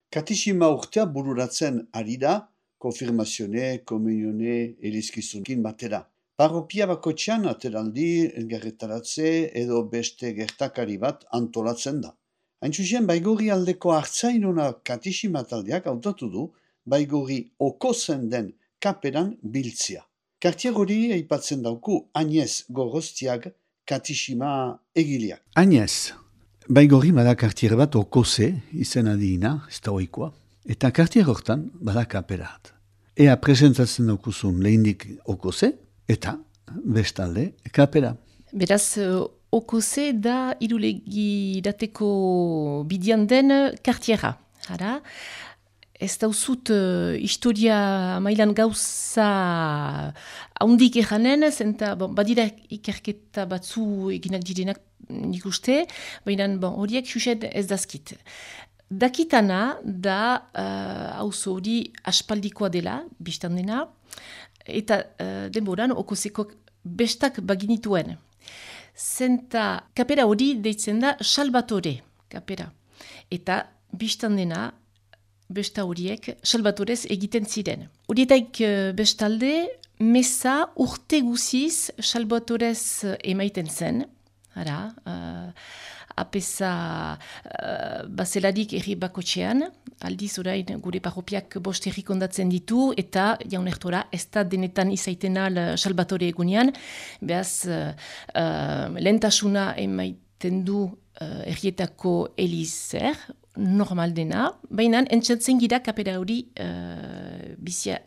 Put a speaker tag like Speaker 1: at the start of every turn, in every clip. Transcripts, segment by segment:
Speaker 1: Katixima urtea bururatzen ari da, konfirmazione, komunione, elizkizunekin batera. Parropia bakoitzean ateraldi, elgerretaratze edo beste gertakari bat antolatzen da. Hain zuzen, Baigorri aldeko hartzainuna katixima taldeak hautatu du Baigorri okozen den kaperan biltzia. Kartier hori aipatzen dauku Agnez Gorostiag katixima egileak.
Speaker 2: Agnez, Baigorri bada kartier bat okoze izena diina, ez da oikoa. Eta kartier hortan bada kaperat. Ea presentatzen daukuzun lehindik okoze eta bestalde kapera.
Speaker 3: Beraz, okoze da irulegi dateko bidian den kartiera. Hara, ez dauzut historia mailan gauza haundik eranen, zenta badira ikerketa batzu eginak direnak nik uste, baina horiek xuxet ez dazkit. Dakitana da auzo hori aspaldikoa dela, biztan dena, eta denboran okozeko bestak baginituen. Zenta kapera hori deitzen da Salvatore kapera. Eta biztan dena, besta horiek Salvatorez egiten ziren. Horietaik bestalde, meza urte guziz Salvatorez emaiten zen. Hara, apesa bazelarik erri bakotxean, aldiz orain gure parropiak 5 herri kondatzen ditu, eta jaunertora ez da denetan izaiten al Salvatore egunean, behaz lehentasuna emaiten du herrietako elizer, normal dena, baina entzatzen gira kapera hori bizia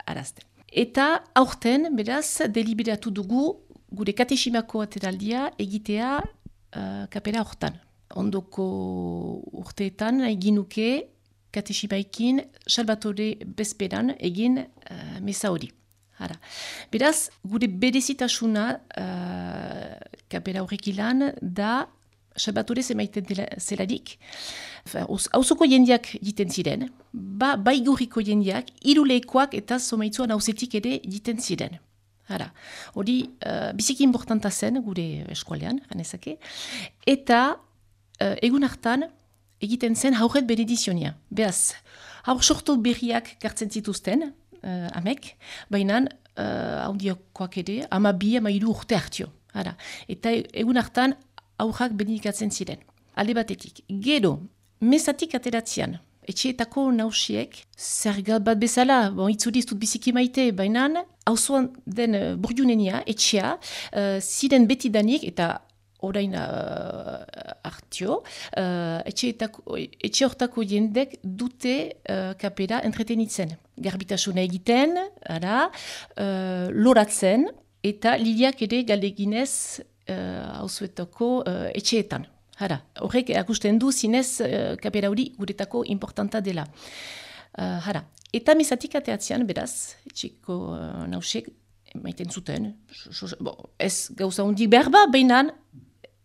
Speaker 3: arazten. Eta aurten, beraz, deliberatu dugu gure kateximako ateraldia egitea kapera hortan. Ondoko urteetan eginuke kateximaikin Salvatore bezperan egin meza hori. Hara. Beraz, gure berezitasuna kapera horrek ilan da Salvatore emaiten zelarik. Hauzoko jendeak jiten ziren, Baigorriko jendeak, iruleikoak eta somaitzuan hauzetik ere jiten ziren. Hara, hori biziki importanta zen gure eskualean, ganezake. Eta egun hartan egiten zen haurret benedizionia. Beaz, haur sortu berriak gartzen zituzten, amek, baina haundiokoak ere, 12-13 urte hartio. Hara, eta egun hartan haurrak benedikatzen ziren. Alde batetik, gero, mezatik ateratzean, etxeetako nausiek, zergat bat bezala, itzuriz dut biziki maite, baina hauzuan den burjunenia, etxea, ziren betidanik, eta orain hartio, etxe hortako jendek dute kapera entretenitzen. Garbitasuna egiten, loratzen, eta liliak ere galdeginez hauzuetako etxeetan. Hara, horrek akusten du zinez kapera hori guretako importanta dela. Hara, eta mezatik ateatzean, beraz, etxeko nausek maiten zuten, ez gauza hundik behar ba, behinan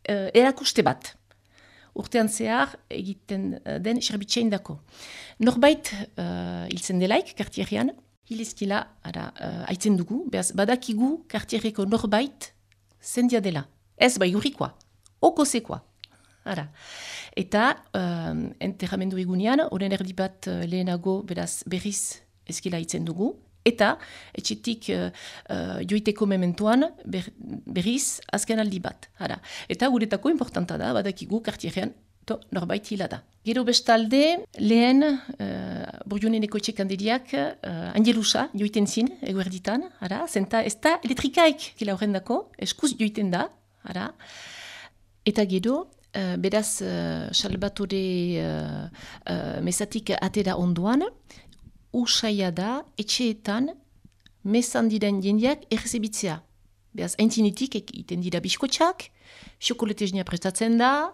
Speaker 3: erakuste bat. Urtean zehar egiten den serbitxein dako. Norbait hiltzen delaik, kartierrean, hilezkila haitzen dugu, beraz, badakigu kartierreko norbait zendia dela. Ez Baigorrikoa, okozekoa. Ara. Eta enterramendu egunean, oren erdi bat lehenago beraz berriz ezkila hitzen dugu. Eta etxetik joiteko mementuan berriz azken aldi bat. Ara. Eta guretako importanta da, badakigu kartierrean norbait hila da. Gero bestalde, lehen burjoneneko etxekanderiak angelusa joiten zin eguerditan. Zenta ez da elektrikaik kila horrendako, eskuz joiten da. Ara. Eta gero, beraz, Salvatore mezatik atera onduan, usaia da etxeetan mezan diren jendeak errezebitzea. Beraz, aintzinetik egiten dira biskotxak, xokoleteznia prestatzen da,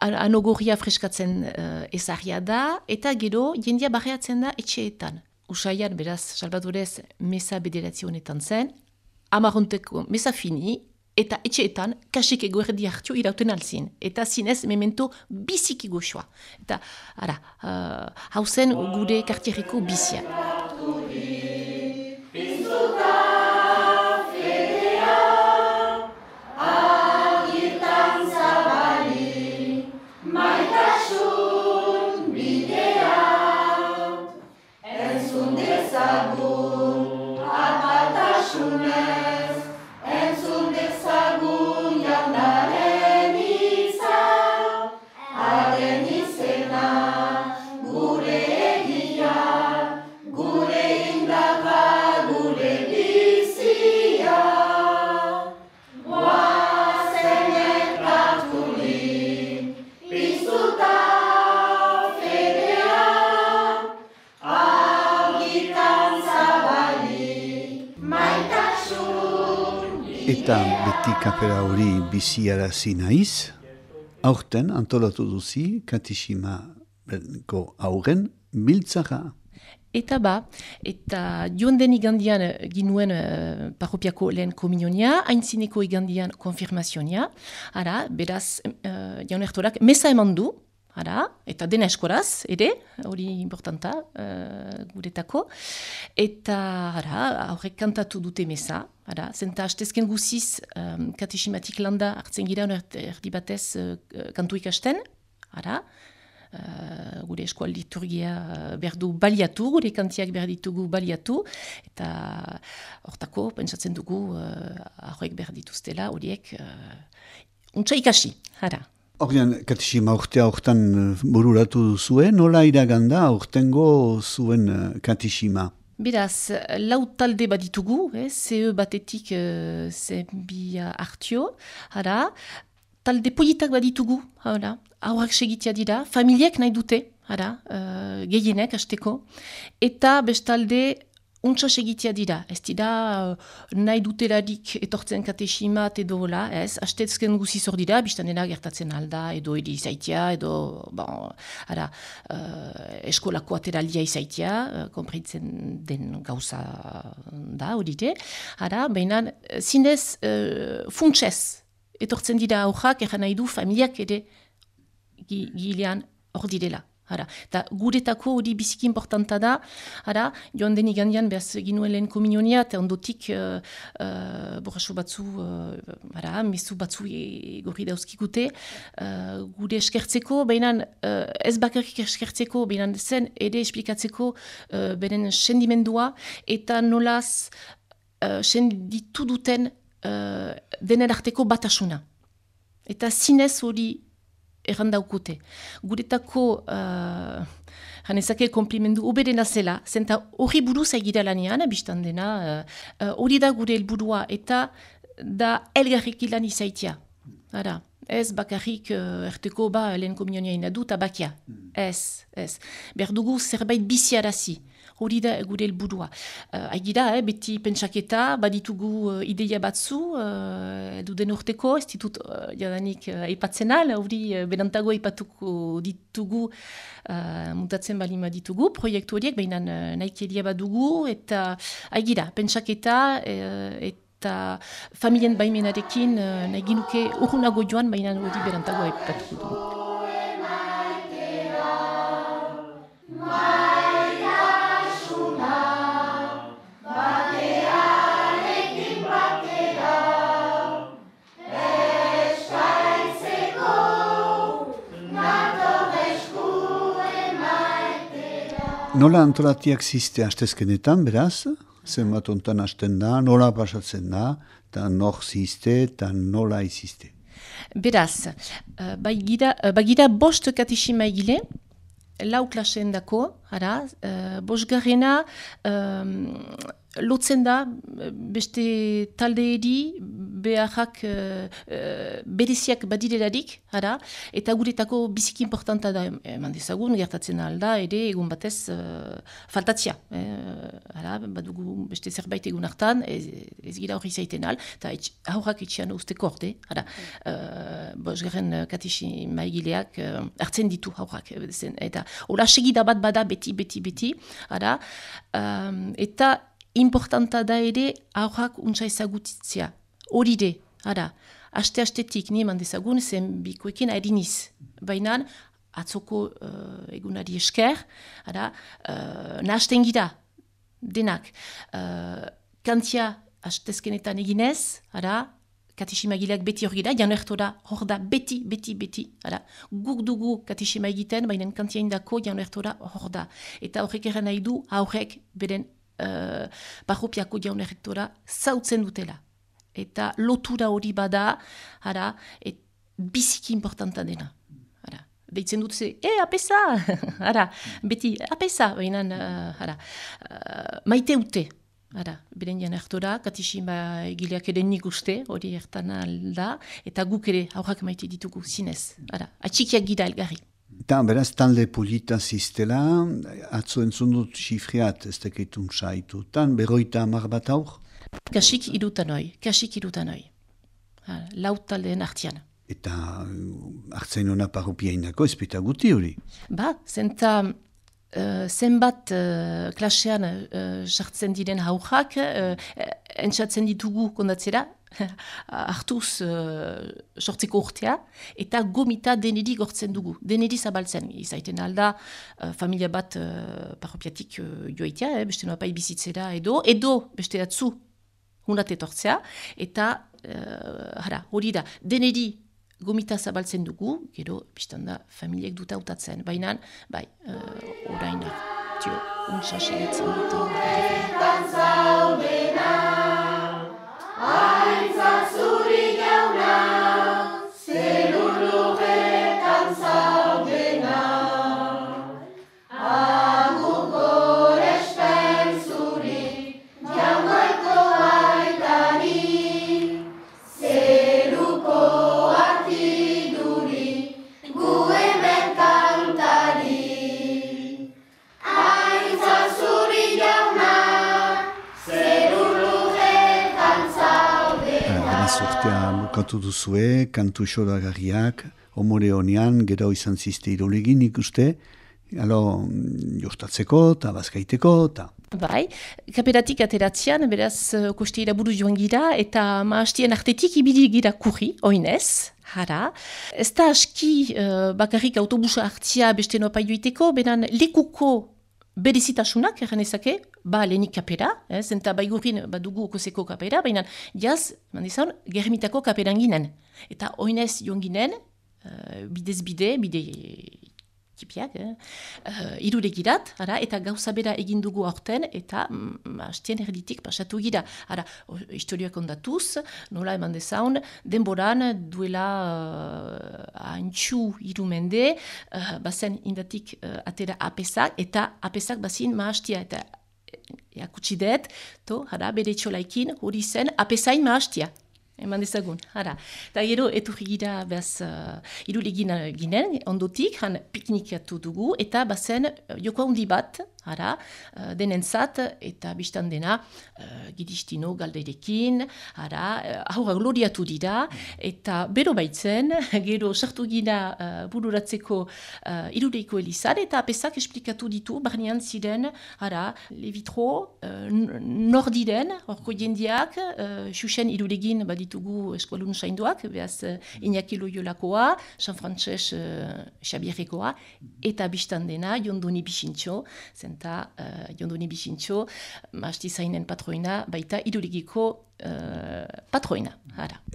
Speaker 3: anogorria freskatzen ezarria da, eta gero jendea barreatzen da etxeetan. Usaian, beraz, Salvatorez meza bederatzi honetan zen, amaronteko meza fini, eta etxeetan kasik eguerdi hartio irauten alzin. Eta zinez memento biziki goxoa. Eta, hau zen gure kartierreko bizia.
Speaker 4: Maitasun bidea
Speaker 2: Eta beti kapera hori biziarazi naiz, aurten antolatu duzi kateximako aurren biltzara.
Speaker 3: Eta joan den igandian ginuen parropiako lehen komunionia, haintzineko igandian konfirmazionia, beraz jaun ertorak mesa eman du, eta dena eskoraz, ere, hori importanta guretako, eta aurrek kantatu dute mesa, zenta hastezken guziz kateximatik landa hartzen gira erdi batez kantu ikasten, gure eskoal liturgia berdu baliatu, gure kantiak berditugu baliatu, eta hortako pentsatzen dugu aurrek berdituztela horiek untsa ikasi,
Speaker 2: Ordean, katexima urtea hortan bururatu zuen, nola iraganda aurtengo zuen katexima?
Speaker 3: Beraz, lau talde baditugu, CE batetik zenbia hartio, talde politak baditugu, aurrak segitia dira, familiek nahi dute, gehienek hasteko, eta bestalde untsa segitia dira, ez dira nahi dutelarik etortzen kateximat edo hola, ez, hastezken guziz hor dira, biztan dena gertatzen alda, edo edi izaitia, edo, eskolako ateralia izaitia, konpreitzen den gauza da, horite, baina zinez funtsez, etortzen dira aurrak, eran nahi du familiak ere gilean hor direla. Eta guretako hori biziki importanta da, joan den igandian behaz ginuen lehen komunionia, eta ondotik borraso batzu, mezu batzu gorri dauzkikute, gure eskertzeko, baina ez bakarrik eskertzeko, baina zen ere esplikatzeko beren sendimendua, eta nolaz senditu duten denen arteko batasuna. Eta zinez hori errandaukute. Guretako, janezake komplimendu oberena zela, zenta hori buruz egira lanean, biztan dena, hori da gure helburua, eta da elgarrik ilan izaitia. Ez bakarrik erteko lehen komunionia inadu, eta bakia. Ez. Behar dugu zerbait biziarazi. Hori da gure helburua. Agira, beti pentsaketa, baditugu ideia batzu, edu den urteko, ez ditut jadanik aipatzen al, hori berantago aipatuko ditugu, mutatzen balima ditugu, proiektu horiek, baina nahikeria badugu, eta agira, pentsaketa, eta familien baimenarekin nahi ginuke urrunago joan, baina hori berantago aipatuko dugu.
Speaker 2: Nola antolatiak ziste hastezkenetan, beraz? Zenbat ontan hasten da, nola pasatzen da, eta nor ziste, eta nola iziste?
Speaker 3: Beraz, bagira bost katexima egile, lau klaseen dako, bosgarrena lotzen da beste taldeeri beharrak bereziak badirelarik, eta guretako biziki importanta da, eman dezagun, gertatzen alda, ere egun batez faltatzia. Badugu beste zerbait egun hartan, ez gira hori zaiten al, eta aurrak etxean usteko orde, bosgarren katexima egileak hartzen ditu aurrak, eta hola segida bat bada beti, eta importanta da ere aurrak untsa ezagutzia. Hori de, aste-astetik nieman dezagun zen bikoekin airiniz. Baina atzoko egunari esker, nahasten gira, denak. Kantia astezkenetan eginez, katexima egileak beti hor gira, jan ertora hor da beti. Guk dugu katexima egiten, baina kantia indako jan ertora hor da. Eta horrek erran nahi du aurrek beren parropiako jaun errektora zautzen dutela. Eta lotura hori bada, biziki importanta dena. Deitzen dut ze, apesa! Beti, apesa! Baina, maite ute. Beren jan errektora, katixima egileak ere nik uste, hori ertan alda, eta guk ere aurrak maite ditugu, zinez. Atxikiak gira elgarri.
Speaker 2: Eta beraz, talde polita ziztela, atzo entzun dut xifriat, ez teketun saitutan, 50 bat aur?
Speaker 3: Kasik irutan hoi. Lau taldeen artian.
Speaker 2: Eta hartzain hona parropiainako ezpeta guti hori?
Speaker 3: Zenta zenbat klasean sartzen diren haujak, entzatzen ditugu kondatzera, hartuz sortzeko urtea, eta gomita deneri gortzen dugu, deneri zabaltzen. Izaiten alda, familia bat parropiatik joaitea, beste noa pai bizitzera edo beste atzu hunat etortzea, eta hori da, deneri gomita zabaltzen dugu, gero, biztan da, familiek dut hautatzen. Baina, orain, untsa segitzen dut.
Speaker 2: Bukatu duzue, kantu xoragarriak, omore honean, gero izan zizte irolegin ikuste, jostatzeko eta bazkaiteko, eta...
Speaker 3: Kaperatik ateratzean, beraz, koste iraburu joan gira, eta maastien artetik ibili gira kurri, oinez, ez da aski bakarrik autobusa hartzia beste nopa joiteko, benan lekuko berezitasunak, erranezake, lehenik kapera, zenta baigurin badugu okoseko kapera, baina jaz, germitako kaperan ginen. Eta oinez joan ginen, bidez bide tipiak, iruregirat, eta gauza bera egin dugu aurten, eta hastien erditik pasatu gira. Historioak ondatuz, nola eman dezaun, denboran duela haintxu irumende, bazen indatik atera apesak, eta apesak bazin mahastia, eta jakutsi dut, bere txolaikin hori zen apesain mahastia. Eman dezagun, Eta gero, eturri gira, irulegin ginen, ondotik, piknikatu dugu, eta bazen joko handi bat, denentzat, eta biztan dena, gidistino galderekin, haura gloriatu dira, eta bero baitzen, gero sartu gira bururatzeko iruleiko elizan, eta apesak esplikatu ditu, barnean ziren, levitro, nor diren, horko jendiak, xuxen irulegin baditugu eskualun sainduak, behaz Iñaki Loyolakoa, San Frances Xabierrekoa, eta biztan dena, Jondoni Bixintxo, zenta Jondoni Bixintxo, mahasti zainen patroina, baita irulegiko patroina.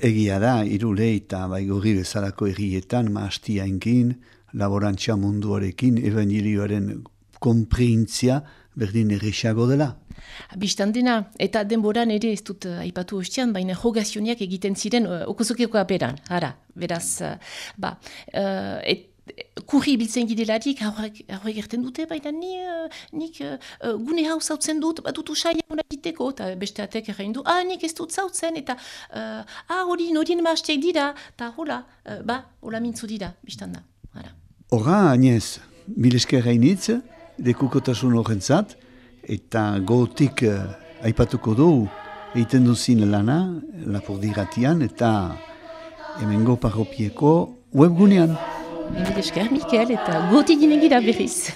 Speaker 2: Egia da, irule eta baigorri bezalako errietan, mahasti hainkin, laborantza munduarekin, evangelioaren konprintzia, berdin errexago dela.
Speaker 3: Bistan dena, eta denboran ere ez dut aipatu ostian, baina jogazioniak egiten ziren okosokeko aperan. Beraz, kurri biltzen gidelarik, haurek erten dute, baina nik gune hau zautzen dut, dut usaila hona egiteko, eta beste atek errein du, nik ez dut zautzen, eta horien maastiak dira, eta hola mintzu dira, bistan da.
Speaker 2: Horra, Agnez, milesker hainitz, dekukotasun horrentzat, eta gotik aipatuko du, egiten duzin lana, Lapurdiratian, eta hemengo parropieko webgunean.
Speaker 3: Milesker, Mikel, eta gotik ginen gira berriz.